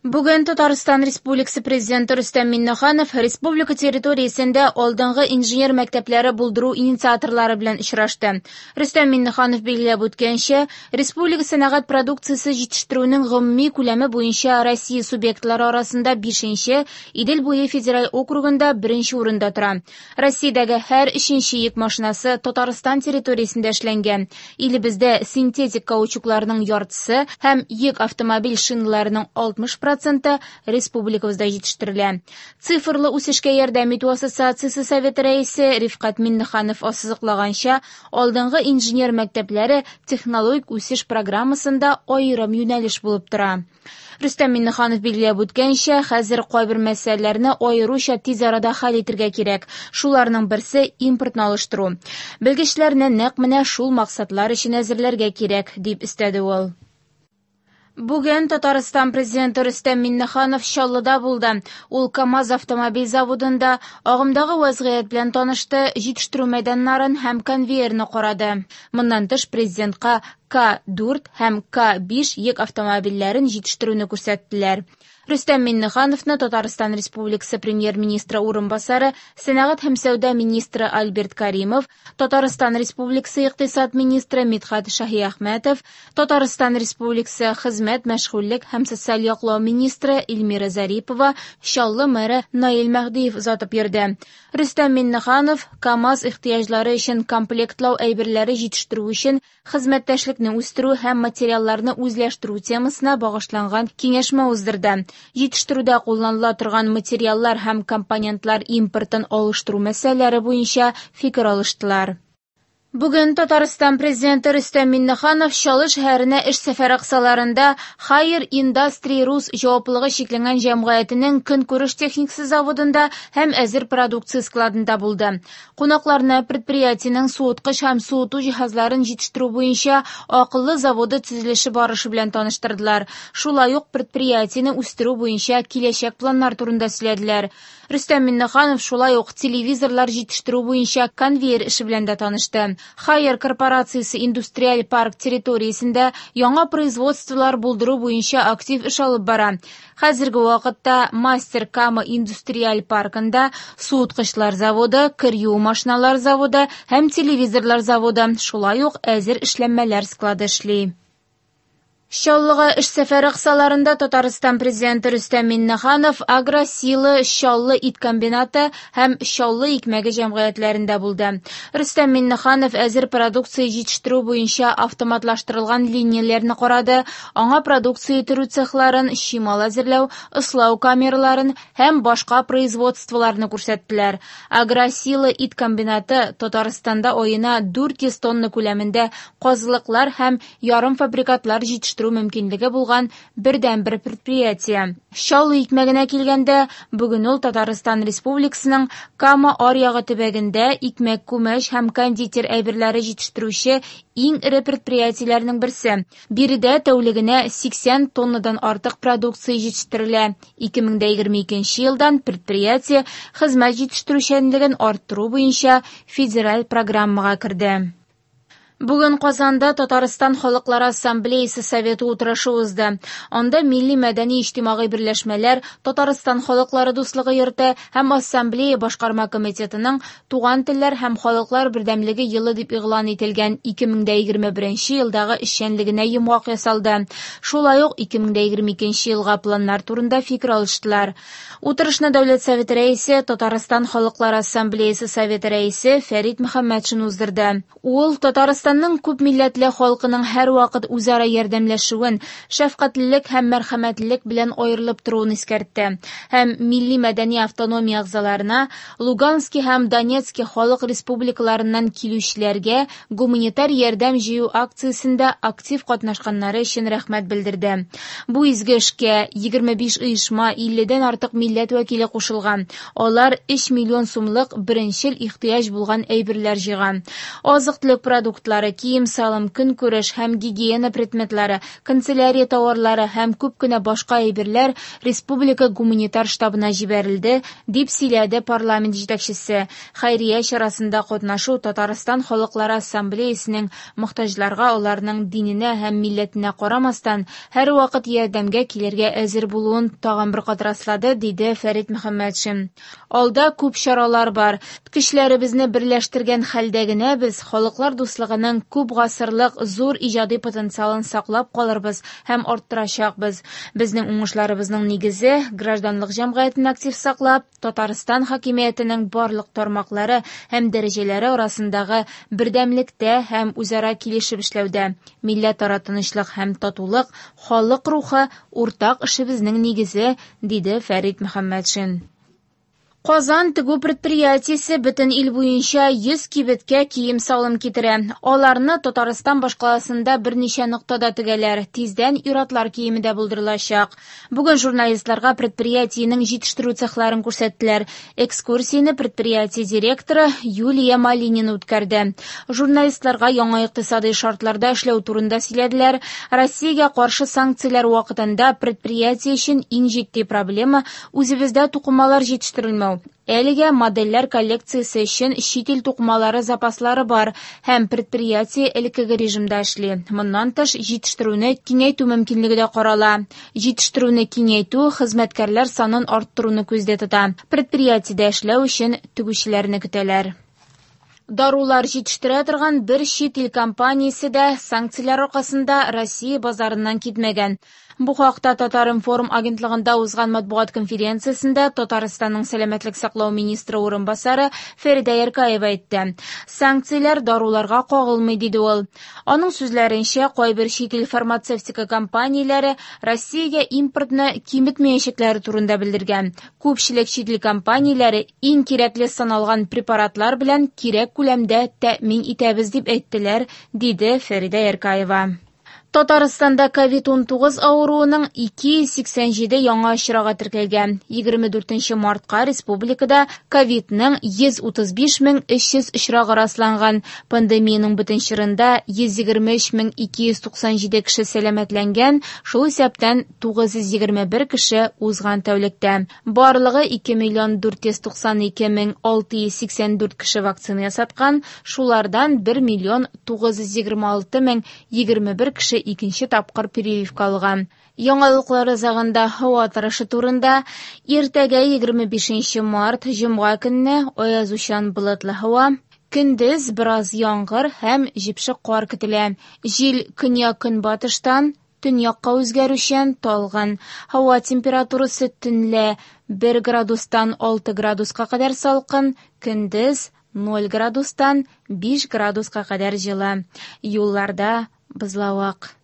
Бүген Татарстан Республикасы Президенты Рөстәм Миңнеханов республика территориясендә алдынгы инженер мәктәпләре булдыру инициаторлары белән очрашты. Рөстәм Миңнеханов билгеләп үткәнчә, республика сәнәгать продукциясе җитештерүнең гомуми күләме буенча Россия субъектлары арасында бишенче, Идел буе федераль округында беренче урында тора. Россиядәге һәр өченче йөк машинасы Татарстан территориясендә эшләнгән. Илебездә синтетик каучукларның яртысы һәм йөк автомобиль шиналарының 60 проценты республикабызда җитештерелә. Цифрлы үсешкә ярдәм итү ассоциациясе советы рәисе Рифкать Миңнеханов ассызыклаганча, алдынгы инженер мәктәпләре технологик үсеш программасында аерым юнәлеш булып тора. Рөстәм Миңнеханов билгеләп үткәнчә, хәзер кайбер мәсьәләләрне аеруча тиз арада хәл итәргә кирәк. Шуларның берсе импортны алыштыру. Белгечләрне нәкъ менә шул максатлар өчен әзерләргә кирәк, дип өстәде ул. Бүген Татарстан Президенты Рөстәм Миңнеханов Чаллыда булды. Ул КАМАЗ автомобиль заводында агымдагы вәзгыять белән танышты, җитештерү мәйданнарын һәм конвейерны карады. Моннан тыш президентка К4 һәм К5 йөк автомобильләрен җитештерүне күрсәттеләр. Рөстәм Миңнехановны Татарстан Республикасы Премьер-министры урынбасары, сәнәгать һәм сәүдә министры Альберт Каримов, Татарстан Республикасы икътисад министры Мидхат Шаһиәхмәтов, Татарстан Республикасы хезмәт, мәшгульлек һәм социаль яклау министры Эльмира Зарипова, Чаллы мэры Наил Мәһдиев озатып йөрде. Рөстәм Миңнеханов КАМАЗ ихтыяҗлары өчен комплектлау әйберләре җитештерү өчен хезмәттәшлекне үстерү һәм материалларны үзләштерү темасына багышланган киңәшмә уздырды. Җитештерүдә кулланыла торган материаллар һәм компонентлар импортын алыштыру мәсьәләләре буенча фикер алыштылар. Бүген Татарстан Президенты Рөстәм Миңнеханов Чаллы шәһәренә эш сәфәре кысаларында Haier Industry Rus җаваплылыгы чикләнгән җәмгыятенең көнкүреш техникасы заводында һәм әзер продукция складында булды. Кунакларны предприятиенең суыткыч һәм суыту җиһазларын җитештерү буенча акыллы заводы төзелеше барышы белән таныштырдылар. Шулай ук предприятиене үстерү буенча киләчәк планнар турында сөйләделәр. Рөстәм Миңнеханов шулай ук телевизорлар җитештерү буенча конвейер эше белән дә танышты. Haier корпорациясе индустриаль парк территориясендә яңа производстволар булдыру буенча актив эш алып бара. Хәзерге вакытта Мастер Кама индустриаль паркында суыткычлар заводы, кер юу машиналар заводы һәм телевизорлар заводы, шулай ук әзер эшләнмәләр склады эшли. Чаллыга эш сәфәре кысаларында Татарстан Президенты Рөстәм Миңнеханов Агросила Чаллы ит комбинаты һәм Чаллы икмәге җәмгыятьләрендә булды. Рөстәм Миңнеханов әзер продукция җитештерү буенча автоматлаштырылган линияләрне карады, аңа продукция төрү цехларын, чимал әзерләү, ыслау камераларын һәм башка производстволарны күрсәттеләр. Агросила ит комбинаты Татарстанда аена 400 тонна күләмендә казылыклар һәм ярымфабрикатлар җитештерү мөмкинлеге булган бердәнбер предприятие. Чаллы икмәгенә килгәндә, бүген ул Татарстан Республикасының Кама аръягы төбәгендә икмәк, күмәч һәм кондитер әйберләре җитештерүче иң эре предприятиеләрнең берсе. Биредә тәүлегенә 80 тоннадан артык продукция җитештерелә. 2022 елдан предприятие хезмәт җитештерүчәнлеген арттыру буенча федераль программага керде. Бүген Казанда Татарстан Халыклары Ассамблеясы Советы утырышы узды. Анда милли мәдәни иҗтимагый берләшмәләр, Татарстан Халыклары дуслыгы йорты һәм Ассамблея башкарма комитетының Туган телләр һәм халыклар бердәмлеге елы дип игълан ителгән 2021 елдагы эшчәнлегенә йомгак ясалды. Шулай ук 2022 елга планнар турында фикер алыштылар. Утырышны Дәүләт Советы рәисе, Татарстан Халыклары Ассамблеясы Советы рәисе Фәрит Мөхәммәтшин уздырды. Ул Татарстанның күп милләтле халкының һәрвакыт үзара ярдәмләшүен, шәфкатьлелек һәм мәрхәмәтлелек белән аерылып торуын искәртте. Һәм милли мәдәни автономия әгъзаларына Луганский һәм Донецкий халык республикаларыннан килүчеләргә гуманитар ярдәм җыю акциясендә актив катнашканнары өчен рәхмәт белдерде. Бу изге эшкә 25 оешма 50-дән артык милләт вәкиле кушылган. Алар 3 миллион сумлык беренчел ихтыяҗ булган әйберләр җыйган. Азык-төлек продуктлары, әсбаплары, кием-салым, көнкүреш һәм гигиена предметлары, канцелярия тауарлары һәм күп кенә башка әйберләр республика гуманитар штабына җибәрелде, дип сөйләде парламент җитәкчесе. Хәйрия чарасында катнашу Татарстан халыклары ассамблеясенең мохтаҗларга аларның диненә һәм милләтенә карамастан, һәрвакыт ярдәмгә килергә әзер булуын тагын бер кат раслады, диде Фәрит Мөхәммәтшин. Алда күп чаралар бар. Көчләребезне берләштергән хәлдә генә без халыклар дуслыгының күп гасырлык зур иҗади потенциалын саклап калырбыз һәм арттырачакбыз. Безнең уңышларыбызның нигезе, гражданлык җәмгыятен актив саклап, Татарстан хакимиятенең барлык тармаклары һәм дәрәҗәләре арасындагы бердәмлектә һәм үзара килешеп эшләүдә. Милләтара тынычлык һәм татулык, халык рухы, уртак эшебезнең нигезе, диде Фәрит Мөхәммәтшин. Казан тегү предприятиесе бөтен ил буенча 100 кибеткә кием-салым китерә. Аларны Татарстан башкаласында берничә ноктада тегәләр. Тиздән ир-атлар киеме дә булдырылачак. Бүген журналистларга предприятиенең җитештерү цехларын күрсәттеләр. Экскурсияне предприятие директоры Юлия Малинина үткәрде. Журналистларга яңа икътисадый шартларда эшләү турында сөйләделәр. Россиягә каршы санкцияләр вакытында предприятие өчен иң җитди проблема үзебездә тукымалар җитештерелмәү. Әлегә модельләр коллекциясе өчен чит ил тукымалары запаслары бар һәм предприятие элеккеге режимда эшли. Моннан тыш, җитештерүне киңәйтү мөмкинлеге дә карала. Җитештерүне киңәйтү хезмәткәрләр санын арттыруны күздә тота. Предприятиедә эшләү өчен тегүчеләрне көтәләр. Дарулар җитештерә торган бер чит ил компаниясе дә санкцияләр аркасында Россия базарыннан китмәгән. Бу хакта Татар-информ агентлыгында узган матбугат конференциясендә Татарстанның сәламәтлек саклау министры урынбасары Фәридә Яркаева әйтте. Санкцияләр даруларга кагылмый, диде ул. Аның сүзләренчә, кайбер чит ил фармацевтика компанияләре Россиягә импортны киметмәячәкләре турында белдергән. Күпчелек чит ил компанияләре иң кирәкле саналган препаратлар белән кирәк күләмдә тәэмин итәбез дип әйттеләр, диде Фәридә Яркаева. Татарстанда COVID-19 авыруының 287 яңа очрагы теркәлгән. 24 мартка республикада ковидның 135 300 очрагы расланган. Пандемиянең бөтен чорында 123 297 кеше сәламәтләнгән, шул исәптән 921 кеше узган тәүлектә. Барлыгы 2 492 684 кеше вакцина ясаткан, шулардан 1 926 021 кеше икенче тапкыр прививка алган. Яңалыклар азагында һава торышы турында. Иртәгә 25 март җомга көнне аязучан болытлы һава. Көндез бераз яңгыр һәм җепшек кар көтелә. Җил көньяк-көнбатыштан төньякка үзгәрүчән талгын. Һава температурасы төнлә 1 градустан 6 градуска кадәр салкын, көндез 0 градустан 5 градуска кадәр җылы. Юлларда бозлавык.